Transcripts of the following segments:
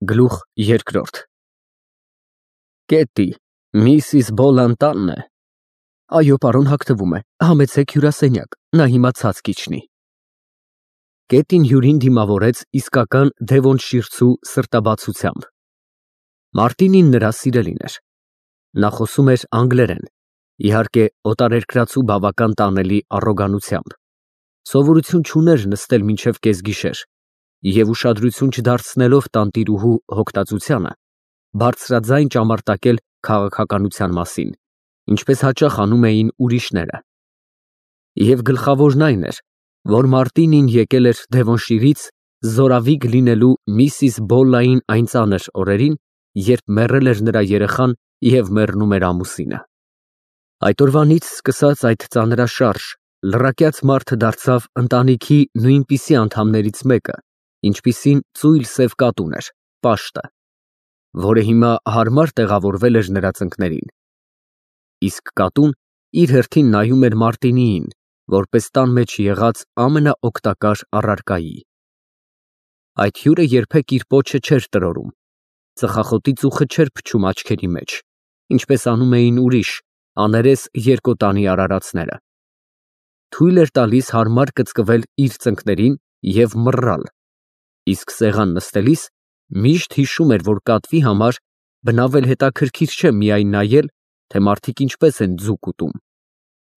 Գլուխ երկրորդ Կետի, Միսիս Բոլան տանն է։ Այո, պարոն, հագնվում է, համեցեք հյուրասենյակ, նա հիմա ցած կիջնի։ Կետին հյուրին դիմավորեց իսկական դևոնշիրցու սրտաբացությամբ։ Մարտինին նրա սիրելին էր։ Նա խոսում էր անգլերեն, իհարկե օտարերկրացու բավական տանելի առոգանությամբ։ Սովորություն չուներ նստել մինչև կեսգիշեր և ուշադրություն չդարձնելով տանտիրուհու հոգտածությանը, բարձրաձայն ճամարտակել քաղաքականության մասին, ինչպես հաճախ անում էին ուրիշները։ Եվ գլխավորն այն էր, որ Մարտինին եկել էր Դևոնշիրից զորավիգ լինելու Միսիս Բոլլային այն ծանր օրերին, երբ մեռել էր նրա երեխան և մեռնում էր ամուսինը։ Այդ օրվանից սկսած այդ ծանրաշարժ, լռակյաց մարդը դարձավ ընտանիքի նույնպիսի անդամներից մեկը, ինչպիսին ծույլ սև կատուն էր, Պաշտը, որը հիմա հարմար տեղավորվել էր նրա ծնկներին։ Իսկ կատուն իր հերթին նայում էր Մարտինիին, որպես տան մեջ եղած ամենաօգտակար առարկայի։ Այդ հյուրը երբեք իր պոչը չէր տրորում, ծխախոտի ծուխը չէր փչում աչքերի մեջ, ինչպես անում էին ուրիշ, աներես երկոտանի արարածները։ Թույլ էր տալիս հարմար կծկվել իր ծնկներին և մռռալ, իսկ սեղան նստելիս միշտ հիշում էր, որ կատվի համար բնավ էլ հետաքրքիր չէ միայն նայել, թե մարդիկ ինչպես են ձուկ ուտում։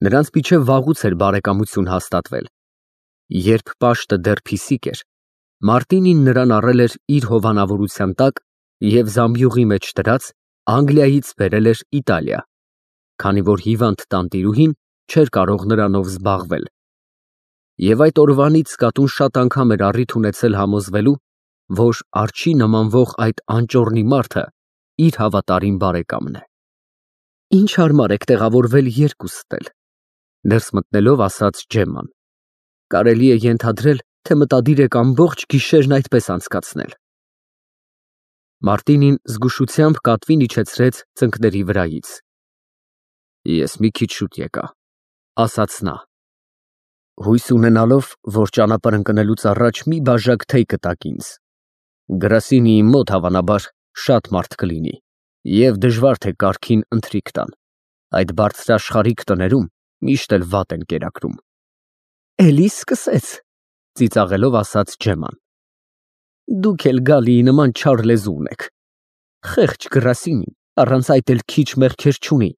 Նրանց միջև վաղուց էր բարեկամություն հաստատվել։ Երբ Պաշտը դեռ փիսիկ էր, Մարտինին նրան առել էր իր հովանավորության տակ և զամբյուղի մեջ դրած Անգլիայից բերել էր Իտալիա, քանի որ հիվանդ տանտիրուհին չէր կարող նրանով զբաղվել։ Եվ այդ օրվանից կատուն շատ անգամ էր առիթ ունեցել համոզվելու, որ արջի նմանվող այդ անճոռնի մարդը իր հավատարիմ բարեկամն է։ Ինչ հարմար եք տեղավորվել երկուստ էլ, ներս մտնելով ասաց Ջեմման։ Կարելի է ենթադրել, թե մտադիր եք ամբողջ գիշերն այդպես անցկացնել։ Մարտինին զգուշությամբ կատվին իջեցրեց ծնկների վրայից։ Ես մի քիչ շուտ եկա, ասաց նա, հույս ունենալով, որ ճանապարհ ընկնելուց առաջ մի բաժակ թեյ կտաք ինձ։ Գրասենիի մոտ հավանաբար շատ մարդ կլինի, և դժվար թե կարգին ընթրիք տան։ Այդ բարձրաշխարհիկ տներում միշտ էլ վատ են կերակրում։ Էլի սկսեց, ծիծաղելով ասաց Ջեմման։ Դուք էլ Գալիի նման չար լեզու ունեք։ Խեղճ գրասենին առանց այդ էլ քիչ մեղքեր չունի։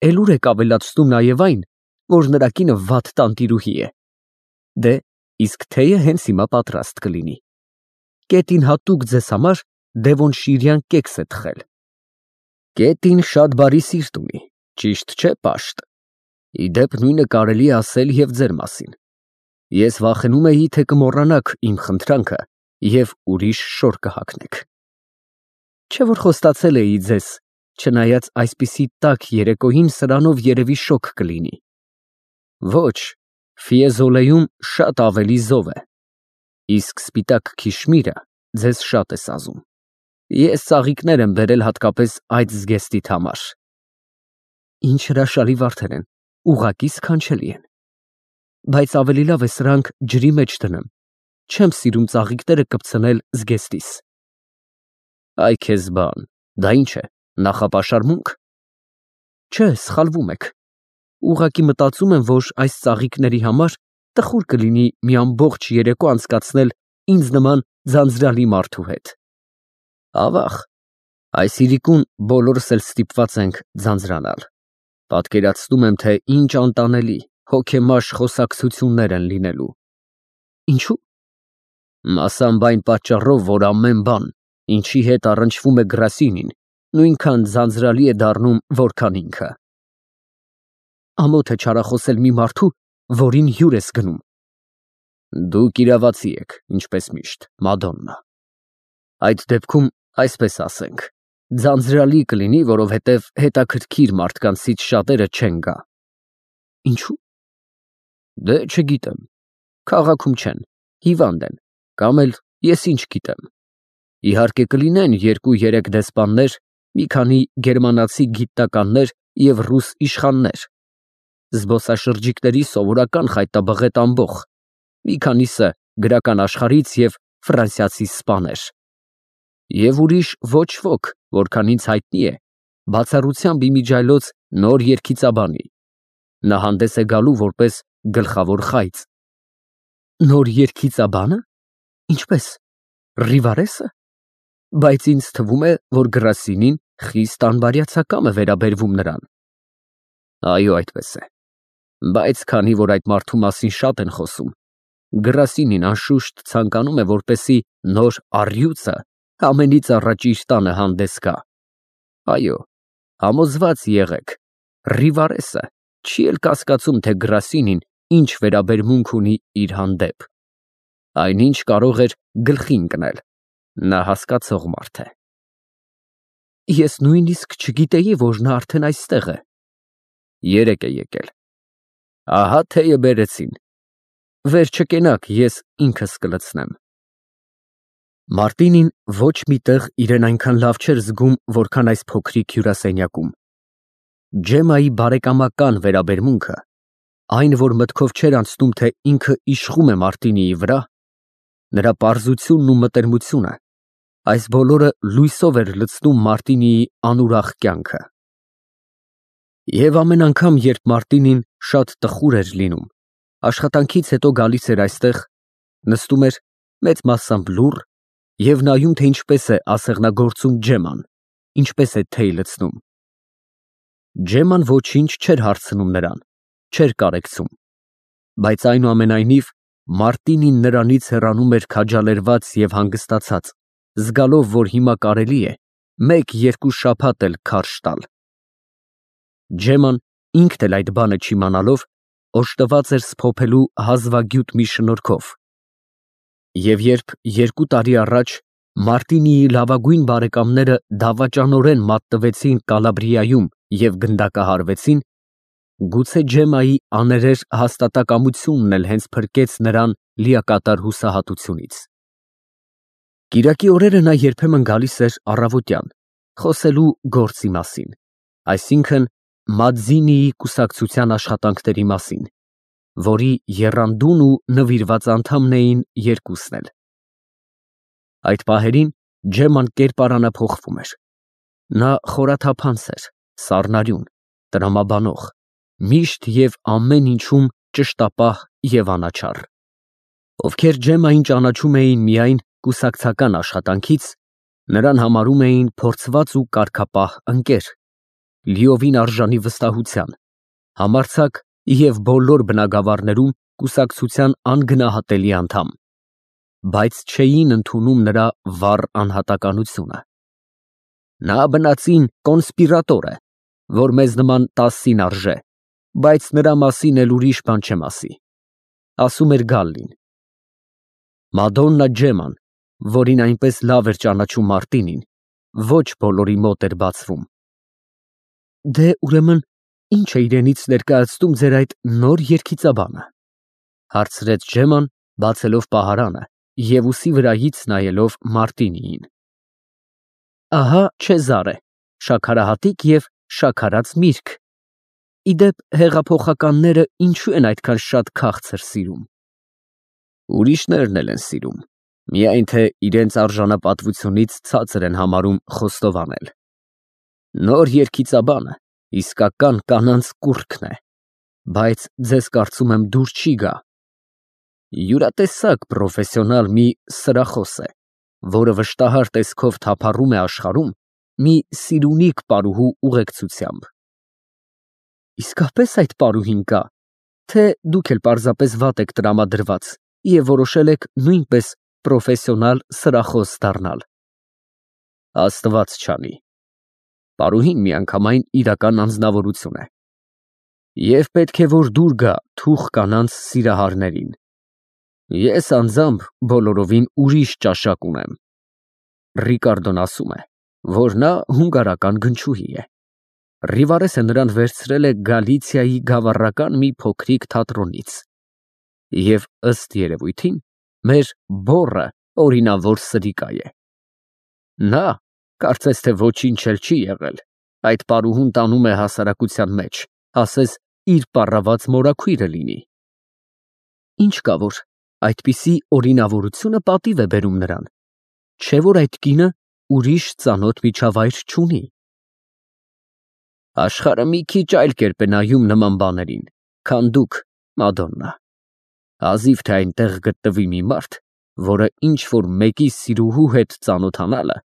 Էլ ուր եք ավելացնում նաև այն, որ նրա կինը վատ տանտիրուհի է։ Դե, իսկ թեյը հենց հիմա պատրաստ կլինի։ Կետին հատուկ ձեզ համար դևոնշիրյան կեքս է թխել։ Կետին շատ բարի սիրտ ունի, ճիշտ չէ, Պաշտ։ Ի դեպ, նույնը կարելի է ասել և ձեր մասին։ Ես վախենում էի, թե կմոռանաք իմ խնդրանքը և ուրիշ շոր կհագնեք։ Չէ՞ որ խոստացել էի ձեզ, չնայած այսպիսի տաք երեկոյին սրանով երևի շոգ կլինի։ Ոչ, Ֆիեզոլեում շատ ավելի զով է, իսկ սպիտակ քիշմիրը ձեզ շատ է սազում։ Ես ծաղիկներ եմ բերել հատկապես այդ զգեստիդ համար։ Ինչ հրաշալի վարդեր են, ուղղակի սքանչելի են։ Բայց ավելի լավ է սրանք ջրի մեջ դնեմ, չեմ սիրում ծաղիկները կպցնել զգեստիս։ Այ քեզ բան, դա ինչ է, նախապաշարմունք։ Չէ, սխալվում եք։ Ուղղակի մտածում եմ, որ այս ծաղիկների համար տխուր կլինի մի ամբողջ երեկո անցկացնել ինձ նման ձանձրալի մարդու հետ։ Ավաղ, այս իրիկուն բոլորս էլ ստիպված ենք ձանձրանալ։ Պատկերացնում եմ, թե ինչ անտանելի, հոգեմաշ խոսակցություններ են լինելու։ Ինչու՞։ Մասամբ այն պատճառով, որ ամեն բան, ինչի հետ առնչվում է գրասենին, նույնքան ձանձրալի է դառնում, որքան ինքը։ Ամոթ է չարախոսել մի մարդու, որին հյուր ես գնում։ Դուք իրավացի եք, ինչպես միշտ, Մադոննա։ Այդ դեպքում այսպես ասենք, ձանձրալի կլինի, որովհետև հետաքրքիր մարդկանցից շատերը չեն գա։ Ինչու՞։ Դե չգիտեմ, քաղաքում չեն, հիվանդ են, կամ էլ ես ինչ գիտեմ։ Իհարկե կլինեն 2-3 դեսպաններ, մի քանի գերմանացի գիտնականներ և ռուս իշխաններ, զբոսաշրջիկների սովորական խայտաբղետ ամբոխ, մի քանիսը գրական աշխարհից և ֆրանսիացի սպաներ։ Եվ ուրիշ ոչ ոք, որքան ինձ հայտնի է, բացառությամբ իմիջայլոց նոր երգիծաբանի։ Նա հանդես է գալու որպես գլխավոր խայծ։ Նոր երգիծաբա՞նը։ Ինչպես։ Ռիվարեսը։ Բայց ինձ թվում է, որ Գրասինին խիստ անբարյացակամ է վերաբերվում նրան։ Այո, այդպես է։ Բայց քանի որ այդ մարդու մասին շատ են խոսում, Գրասինին անշուշտ ցանկանում է, որպեսզի նոր առյուծը ամենից առաջ իր տանը հանդես գա։ Այո, համոզված եղեք, Ռիվարեսը չի էլ կասկածում, թե Գրասինին ինչ վերաբերմունք ունի իր հանդեպ։ Այնինչ կարող էր գլխի ընկնել, նա հասկացող մարդ է։ Ես նույնիսկ չգիտեի, որ նա արդեն այստեղ է։ Երեկ է եկել։ Ահա թեյը բերեցին։ Վեր չկենաք, ես ինքս կլցնեմ։ Մարտինին ոչ մի տեղ իրեն այնքան լավ չէր զգում, որքան այս փոքրիկ հյուրասենյակում։ Ջեմայի բարեկամական վերաբերմունքը, այն, որ մտքով չէր անցնում, թե ինքը իշխում է Մարտինիի վրա, նրա պարզությունն ու մտերմությունը, այս բոլորը լույսով էր լցնում Մարտինիի անուրախ կյանքը։ Եվ ամեն անգամ, երբ Մարտինին շատ տխուր էր լինում, աշխատանքից հետո գալիս էր այստեղ, նստում էր մեծ մասամբ լուռ և նայում, թե ինչպես է ասեղնագործում Ջեման, ինչպես է թեյ լցնում։ Ջեման ոչինչ չէր հարցնում նրան, չէր կարեկցում, բայց այնուամենայնիվ Մարտինին նրանից հեռանում էր քաջալերված և հանգստացած, զգալով, որ հիմա կարելի է մեկ-երկու շաբաթ էլ քարշ տալ։ Ջեման ինքն էլ այդ բանը չիմանալով, օժտված էր սփոփելու հազվագյուտ մի շնորհքով։ Եվ երբ 2 տարի առաջ Մարտինիի լավագույն բարեկամները դավաճանորեն մատնվեցին Կալաբրիայում և գնդակահարվեցին, գուցե Ջեմայի աներեր հաստատակամությունն էլ հենց փրկեց նրան լիակատար հուսահատությունից։ Կիրակի օրերը նա երբեմն գալիս էր առավոտյան, խոսելու գործի մասին, այսինքն Մադզինիի կուսակցության աշխատանքների մասին, որի եռանդուն ու նվիրված անդամն էին երկուսն էլ։ Այդ պահերին Ջեման կերպարանափոխվում էր։ Նա խորաթափանց էր, սառնարյուն, տրամաբանող, միշտ և ամեն ինչում ճշտապահ և անաչառ։ Ովքեր Ջեմային ճանաչում էին միայն կուսակցական աշխատանքից, նրան համարում էին փորձված ու կարգապահ ընկեր, լիովին արժանի վստահության, համարձակ և բոլոր բնագավառներում կուսակցության անգնահատելի անդամ, բայց չէին ընդունում նրա վառ անհատականությունը։ Նա բնածին կոնսպիրատոր է, որ մեզ նման 10-ին արժե, բայց նրա մասին էլ ուրիշ բան չեմ ասի, ասում էր Գալլին։ Մադոննա Ջեման, որին այնպես լավ էր ճանաչում Մարտինին, ոչ բոլորի մոտ էր բացվում։ Դե ուրեմն ի՞նչ է իրենից ներկայացնում ձեր այդ նոր երգիծաբանը, հարցրեց Ջեման, բացելով պահարանը և ուսի վրայից նայելով Մարտինիին։ Ահա Չեզարե, շաքարահատիկ և շաքարած միրգ։ Իդեպ հեղափոխականները ինչու են այդքան շատ քաղցր սիրում։ Ուրիշներն էլ են սիրում, միայն թե իրենց արժանապատվությունից ցածր են համարում խոստովանել։ Նոր երգիծաբանը իսկական կանանց կուռքն է, բայց ձեզ կարծում եմ դուր չի գա։ Յուրատեսակ պրոֆեսիոնալ մի սրախոս է, որը վշտահար տեսքով թափառում է աշխարհում մի սիրունիկ պարուհու ուղեկցությամբ։ Իսկապես այդ պարուհին կա, թե դուք էլ պարզապես վատ եք տրամադրված և որոշել եք նույնպես պրոֆեսիոնալ սրախոս դառնալ։ Աստված չանի։ Պարուհին միանգամայն իրական անձնավորություն է։ Եվ պետք է, որ դուր գա թուխ կանանց սիրահարներին։ Ես անձամբ բոլորովին ուրիշ ճաշակ ունեմ։ Ռիկարդոն ասում է, որ նա հունգարական գնչուհի է։ Ռիվարեսը նրան վերցրել է Գալիցիայի գավառական մի փոքրիկ թատրոնից։ Եվ ըստ երևույթին, մեր բոռը օրինավոր սրիկա է։ Նա, կարծես թե ոչինչ էլ չի եղել, այդ պարուհուն տանում է հասարակության մեջ, ասես իր պառաված մորաքույրը լինի։ Ինչ կա, որ այդպիսի օրինավորությունը պատիվ է բերում նրան, չէ՞ որ այդ կինը ուրիշ ծանոթ միջավայր չունի։ Աշխարհը մի քիչ այլ կերպ է նայում նման բաներին, քան դուք, Մադոննա։ Հազիվ թե այնտեղ գտնվի մի մարդ, որը ինչ-որ մեկի սիրուհու հետ ծանոթանալը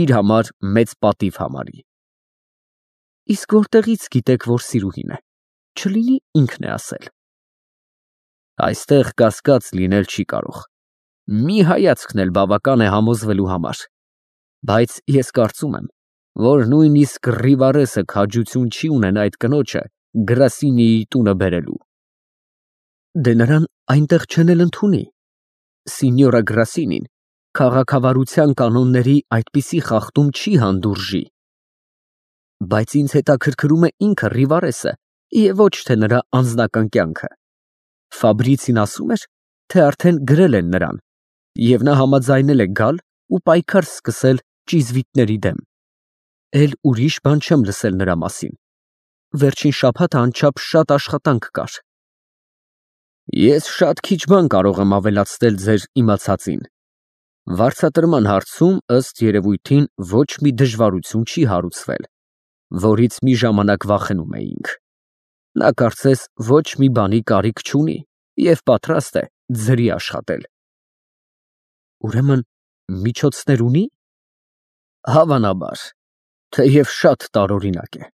իր համար մեծ պատիվ համարի։ Իսկ որտեղից գիտեք, որ սիրուհին է, չլինի ինքն է ասել։ Այստեղ կասկած լինել չի կարող։ Մի հայացքն էլ բավական է համոզվելու համար։ Բայց ես կարծում եմ, որ նույնիսկ Ռիվարեսը քաջություն չի ունենա այդ կնոջը Գրասինիի տունը բերելու։ Դե նրան այնտեղ չեն էլ ընդունի։ Սինյորա Գրասինին քաղաքավարության կանոնների այդպիսի խախտում չի հանդուրժի։ Բայց ինձ հետաքրքրում է ինքը Ռիվարեսը և ոչ թե նրա անձնական կյանքը։ Ֆաբրիցին ասում էր, թե արդեն գրել են նրան, և նա համաձայնել է գալ ու պայքար սկսել ճիզվիտների դեմ։ Էլ ուրիշ բան չեմ լսել նրա մասին։ Վերջին շաբաթը անչափ շատ աշխատանք կար։ Ես շատ քիչ բան կարող եմ ավելացնել ձեր իմացածին։ Վարձատրման հարցում ըստ երևույթին ոչ մի դժվարություն չի հարուցվել, որից մի ժամանակ վախենում էինք։ Նա կարծես ոչ մի բանի կարիք չունի և պատրաստ է ձրի աշխատել։ Ուրեմն միջոցներ ունի։ Հավանաբար, թեև շատ տարօրինակ է։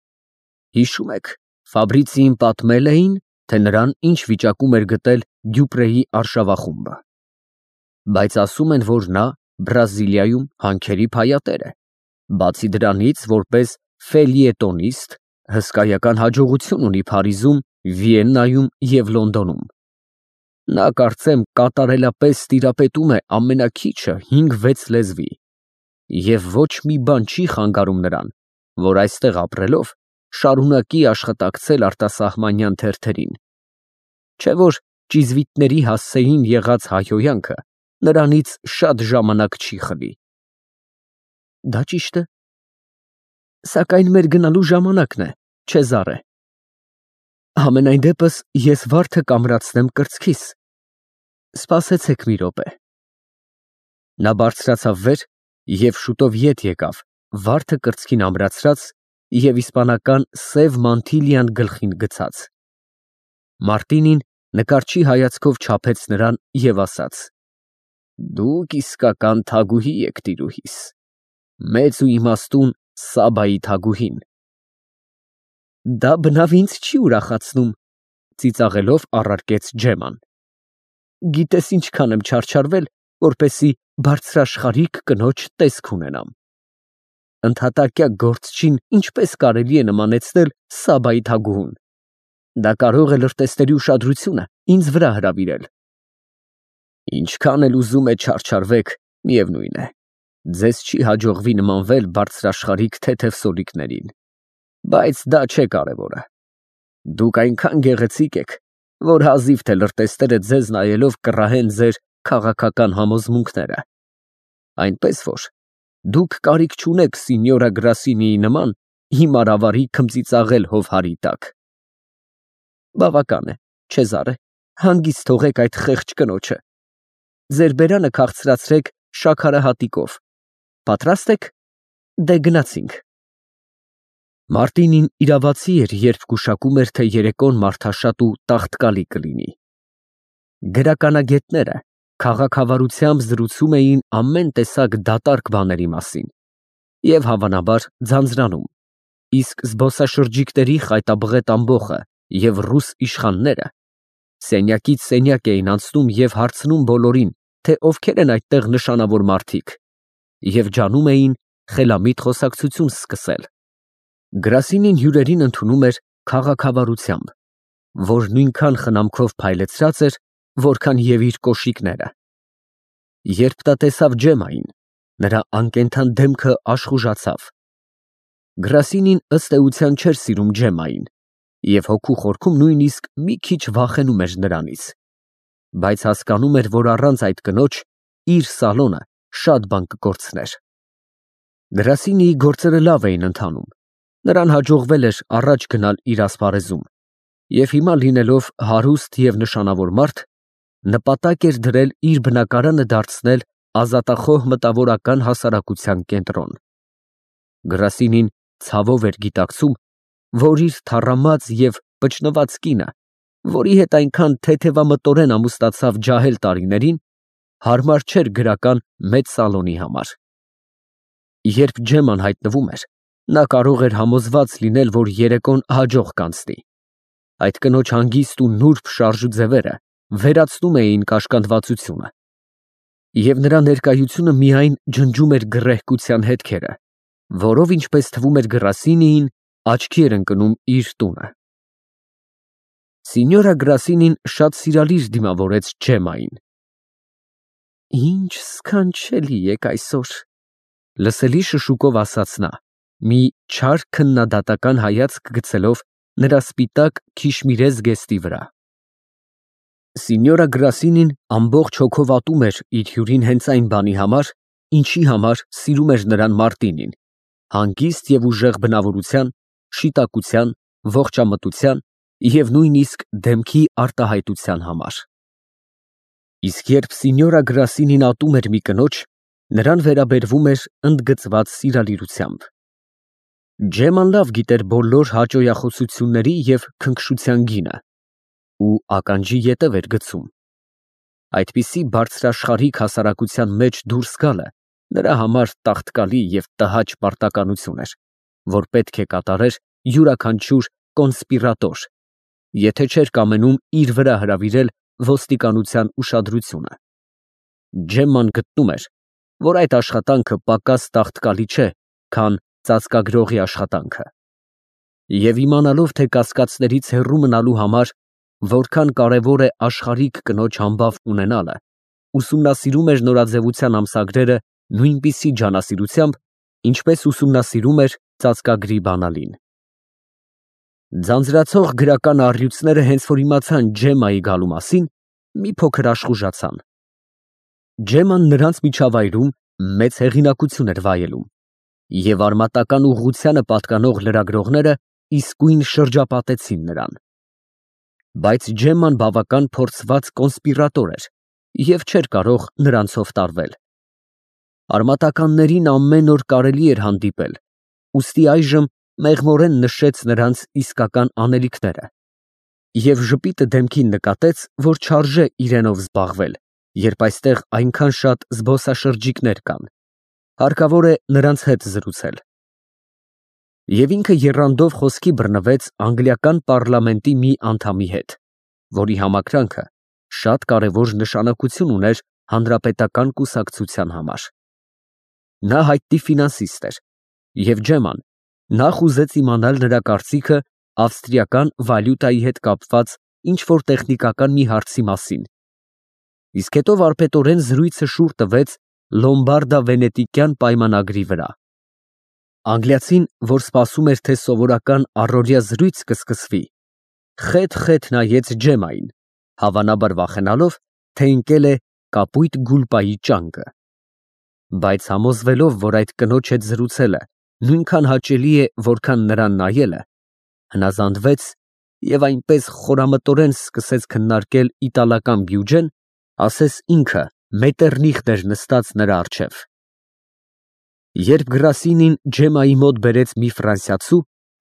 Հիշում եք, Ֆաբրիցիին պատմել էին, թե նրան ինչ վիճակում էր գտել Դյուպրեի արշավախումբը։ Բայց ասում են, որ նա Բրազիլիայում հանքերի փայատեր է, բացի դրանից, որպես ֆելիետոնիստ հսկայական հաջողություն ունի Փարիզում, Վիեննայում և Լոնդոնում։ Նա կարծեմ կատարելապես տիրապետում է ամենաքիչը 5-6 լեզվի, և ոչ մի բան չի խանգարում նրան, որ այստեղ ապրելով շարունակի աշխատակցել արտասահմանյան թերթերին, չէ՞ որ ճիզվիտների հասցեին եղած հայհոյանքը նրանից շատ ժամանակ չի խլի։ Դա ճիշտ է։ Սակայն մեր գնալու ժամանակն է, Չեզարե։ Համենայն դեպս ես վարդը կամրացնեմ կրծքիս։ Սպասեցեք մի րոպե։ Նա բարձրացավ վեր և շուտով ետ եկավ, վարդը կրծքին ամրացրած և իսպանական սև մանտիլիան գլխին գցած։ Մարտինին նկարչի հայացքով չափեց նրան և ասաց. Դուք իսկական թագուհի եք, տիրուհիս, մեծ ու իմաստուն Սաբայի թագուհին։ Դա բնավ ինձ չի ուրախացնում, ծիծաղելով առարկեց Ջեման։ Գիտես ինչքան եմ չարչարվել, որպեսզի բարձրաշխարհիկ կնոջ տեսք ունենամ։ Ընդհատակյա գործչին ինչպես կարելի է նմանեցնել Սաբայի թագուհուն։ Դա կարող է լրտեսների ուշադրությունը ինձ վրա հրավիրել։ Ինչքան էլ ուզում եք չարչարվեք, միևնույն է, ձեզ չի հաջողվի նմանվել բարձրաշխարհիկ թեթև սոլիկներին, բայց դա չէ կարևորը։ Դուք այնքան գեղեցիկ եք, որ հազիվ թե լրտեսները ձեզ նայելով կռահեն ձեր քաղաքական համոզմունքները, այնպես որ դուք կարիք չունեք Սինյորա Գրասինիի նման հիմար ավարի քմծիծաղել հովհարի տակ։ Բավական է, Չեզարե, հանգիստ թողեք այդ խեղճ կնոջը։ Ձեր բերանը քաղցրացրեք շաքարահատիկով։ Պատրաստ եք։ Դե գնացինք։ Մարտինին իրավացի էր, երբ գուշակում էր, թե երեկոն մարդաշատ ու տաղտկալի կլինի։ Գրականագետները քաղաքավարությամբ զրուցում էին ամեն տեսակ դատարկ բաների մասին և հավանաբար ձանձրանում, իսկ զբոսաշրջիկների խայտաբղետ ամբոխը և ռուս իշխանները սենյակից սենյակ էին անցնում և հարցնում բոլորին, թե ովքեր են այդտեղ նշանավոր մարդիկ, և ջանում էին խելամիտ խոսակցություն սկսել։ Գրասինին հյուրերին ընդունում էր քաղաքավարությամբ, որ նույնքան խնամքով փայլեցրած էր, որքան և իր կոշիկները։ Երբ նա տեսավ Ջեմային, նրա անկենդան դեմքը աշխուժացավ։ Գրասինին ըստ էության չէր սիրում Ջեմային և հոգու խորքում նույնիսկ մի քիչ վախենում էր նրանից, բայց հասկանում էր, որ առանց այդ կնոջ իր սալոնը շատ բան կկորցներ։ Գրասինիի գործերը լավ էին ընթանում, նրան հաջողվել էր առաջ գնալ իր ասպարեզում և հիմա լինելով հարուստ և նշանավոր մարդ, նպատակ էր դրել իր բնակարանը դարձնել ազատախոհ մտավորական հասարակության կենտրոն։ Գրասինին ցավով էր գիտակցում, որ իր թառամած և պճնված կինը, որի հետ այնքան թեթևամտորեն ամուսնացավ ջահել տարիներին, հարմար չէր գրական մեծ սալոնի համար։ Երբ Ջեման հայտնվում էր, նա կարող էր համոզված լինել, որ երեկոն հաջող կանցնի։ Այդ կնոջ հանգիստ ու նուրբ շարժուձևերը վերացնում էին կաշկանդվածությունը, և նրա ներկայությունը միայն ջնջում էր գռեհկության հետքերը, որով, ինչպես թվում էր Գրասինիին, աչքի էր ընկնում իր տունը։ Սինյորա Գրասինին շատ սիրալիր դիմավորեց Ջեմային։ «Ինչ սքանչելի եք այսօր», լսելի շշուկով ասաց նա, մի չար քննադատական հայացք գցելով նրա սպիտակ քիշմիրե զգեստի վրա։ Սինյորա Գրասինին ամբողջ հոգով ատում էր իր հյուրին հենց այն բանի համար, ինչի համար սիրում էր նրան Մարտինին, հանգիստ և ուժեղ բնավորության, շիտակության, ողջամտության և նույնիսկ դեմքի արտահայտության համար։ Իսկ երբ Սինյորա Գրասինին ատում էր մի կնոջ, նրան վերաբերվում էր ընդգծված սիրալիրությամբ։ Ջեման լավ գիտեր բոլոր հաճոյախոսությունների և քնքշության գինը ու ականջի ետև էր գցում։ Այդպիսի բարձրաշխարհիկ հասարակության մեջ դուրս գալը նրա համար տաղտկալի և տհաճ պարտականություն էր, որ պետք է կատարեր յուրաքանչյուր կոնսպիրատոր, եթե չէր կամենում իր վրա հրավիրել ոստիկանության ուշադրությունը։ Ջեմման գտնում էր, որ այդ աշխատանքը պակաս տաղտկալի չէ, քան ծածկագրողի աշխատանքը, և իմանալով, թե կասկածներից հեռու մնալու համար որքան կարևոր է աշխարհիկ կնոջ համբավ ունենալը, ուսումնասիրում էր նորաձևության ամսագրերը նույնպիսի ջանասիրությամբ, ինչպես ուսումնասիրում էր ծածկագրի բանալին։ Ձանձրացող գրական առյուծները հենց որ իմացան Ջեմայի գալու մասին, մի փոքր աշխուժացան։ Ջեման նրանց միջավայրում մեծ հեղինակություն էր վայելում, և արմատական ուղղությանը պատկանող լրագրողները իսկույն շրջապատեցին նրան։ Բայց Ջեման բավական փորձված կոնսպիրատոր էր և չէր կարող նրանցով տարվել։ Արմատականներին ամեն օր կարելի էր հանդիպել, ուստի այժմ մեղմորեն նշեց նրանց իսկական անելիքները և ժպիտը դեմքին նկատեց, որ չարժե իրենով զբաղվել, երբ այստեղ այնքան շատ զբոսաշրջիկներ կան, հարկավոր է նրանց հետ զրուցել։ Եվ ինքը եռանդով խոսքի բռնվեց անգլիական պառլամենտի մի անդամի հետ, որի համակրանքը շատ կարևոր նշանակություն ուներ հանրապետական կուսակցության համար։ Նա հայտնի ֆինանսիստ էր, և Ջեման նախ ուզեց իմանալ նրա կարծիքը ավստրիական վալյուտայի հետ կապված ինչ-որ տեխնիկական մի հարցի մասին, իսկ հետո վարպետորեն զրույցը շուռ տվեց Լոմբարդա֊Վենետիկյան պայմանագրի վրա։ Անգլիացին, որ սպասում էր, թե սովորական առօրյա զրույց կսկսվի, խեթ նայեց Ջեմային, հավանաբար վախենալով, թե ընկել է կապույտ գուլպայի ճանկը։ Բայց համոզվելով, որ այդ կնոջ հետ զրուցելը նույնքան հաճելի է, որքան նրան նայելը, հնազանդվեց և այնպես խորամտորեն սկսեց քննարկել իտալական բյուջեն, ասես ինքը Մետեռնիխտ էր նստած նրա առջև։ Երբ Գրասինին Ջեմայի մոտ բերեց մի ֆրանսիացու,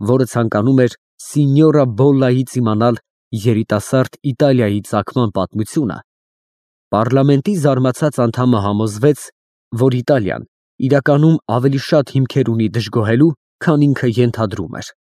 որը ցանկանում էր Սինյորա Բոլլայից իմանալ երիտասարդ Իտալիայի ծագման պատմությունը, պառլամենտի զարմացած անդամը համոզվեց, որ Իտալիան իրականում ավելի շատ հիմքեր ունի դժգոհելու, քան ինքը ենթադրում էր։